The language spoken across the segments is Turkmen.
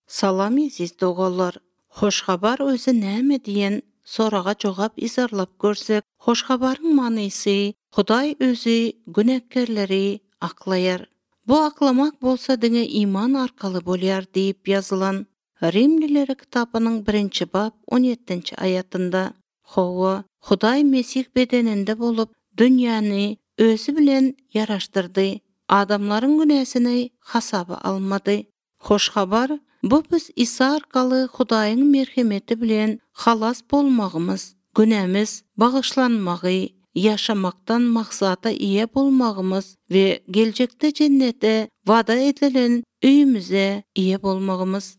Salam eziz doganlar! Hoş habar özi näme diýen soraga jogap yzarlap görsek, hoş habaryň manysy Hudaý özi günäkärleri aklaýar. Bu aklamak bolsa diňe iman arkaly bolýar diýip ýazylan Rimlilere kitabynyň birinji bap on ýetdinji aýatynda. Hawa, Hudaý Mesih bedeninde bolup, dünýäni Özi bilen ýaraşdyrdy, adamlaryň günäsini hasaba almady. Hoş habar, bu biz Isa arkaly Hudaýyň merhemeti bilen halas bolmagymyz, günämiz bagyşlanmagy, ýaşamakdan maksada eýe bolmagymyz we geljekde jennetde wada edilen öýümize eýe bolmagymyz.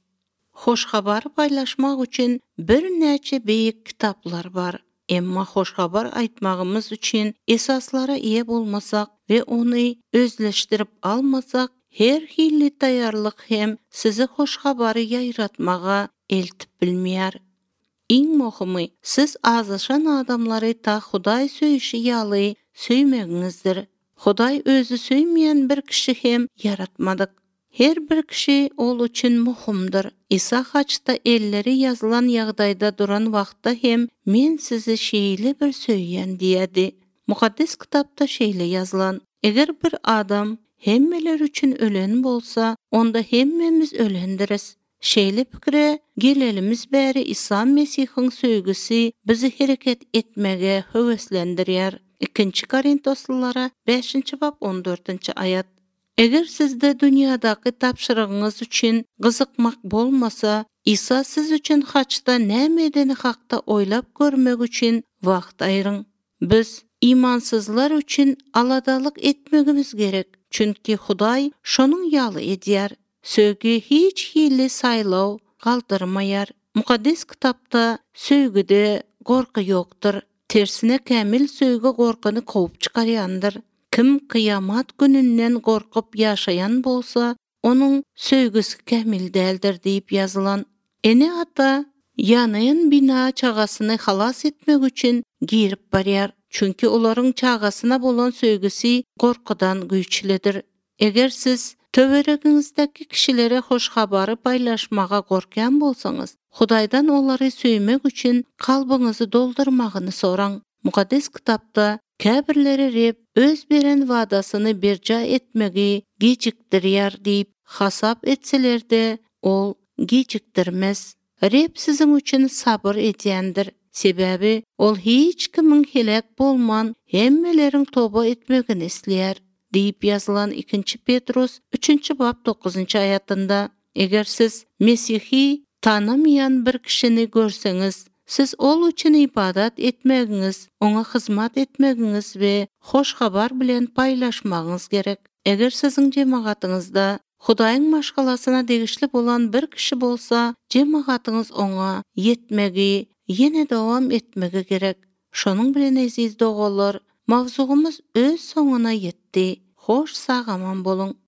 Hoş Habary paýlaşmak üçin birnäçe beýik kitaplar bar. Emma Hoş Habar aýtmagymyz üçin esaslara eýe bolmasak we ony özleşdirip almasak, her hili taýýarlyk hem sizi Hoş Habary ýaýratmaga eltip bilmeýär. Iň möhümi, siz azaşan adamlary ta Hudaý söýüşi ýaly söýmegiňizdir. Hudaý özi söýmeýän bir kişi hem ýaratmadyk. Her bir kişi Ol üçin möhümdir. Isa haçda elleri ýazylan ýagdaýda duran wagtda hem Men sizi şeýle bir söýýän diýýärdi. Mukaddes Kitapda şeýle ýazylan, Eger bir adam hemmeler üçin ölen bolsa, onda hemmemiz ölendiris. Şeýle pikire gelelimiz bäri Isa Mesihiň söýgüsi bizi hereket etmege höweslendirýär, Ikinji Korintoslylara bäşinji bap on dördünji aýat. Eger sizde dünýädäki tabşyrygyňyz üçin gyzykmak bolmasa, Isa siz üçin haçda näme edeni hakda oýlap görmek üçin wagt aýryň. Biz imansyzlar üçin aladalyk etmegimiz gerek, çünki Hudaý şonuň ýaly edýär. Söýgi hiç hili saýlaw galdyrmaýar. Mukaddes Kitapda söýgüde gorky ýokdur. Tersine kämil söýgi gorkyny kowup çykarýandyr. Kim kyýamat gününden gorkup ýaşaýan bolsa, onuň söýgüsi kämil däldir diýip ýazylan. Ene-ata ýanaýan bina çagasyny halas etmek üçin girip barýar, çünki olaryň çagasyna bolan söýgüsi gorkudan güýçlüdir. Eger siz töweregiňizdäki kişilere hoş habary paýlaşmaga gorkýan bolsaňyz, Hudaýdan olary söýmek üçin kalbyňyzy doldurmagyny soraň. Mukaddes Kitapda, Käbirleri Reb Öz beren wadasyny berjaý etmegi gijikdirýär diýip hasap etseler-de, Ol gijikdirmez. Reb siziň üçin sabyr edýändir, sebäbi Ol hiç kimiň heläk bolman, hemmeleriň toba etmegini isleýär diýip ýazylan Ikinji Petrus üçünji bap dokuzynjy aýatynda. Eger siz Mesihi tanamaýan bir kişini görseňiz, siz ol üçin ybadat etmegiňiz, oňa hyzmat etmegiňiz we hoş habar bilen paýlaşmagyňyz gerek. Eger siziň jemagatyňyzda Hudaýyň maşgalasyna degişli bolan bir kişi bolsa, jemagatyňyz oňa ýetmegi ýene dowam etmegi gerek. Şonuň bilen eziz doganlar, mowzugymyz öz soňuna ýetdi. Hoş sag-aman boluň!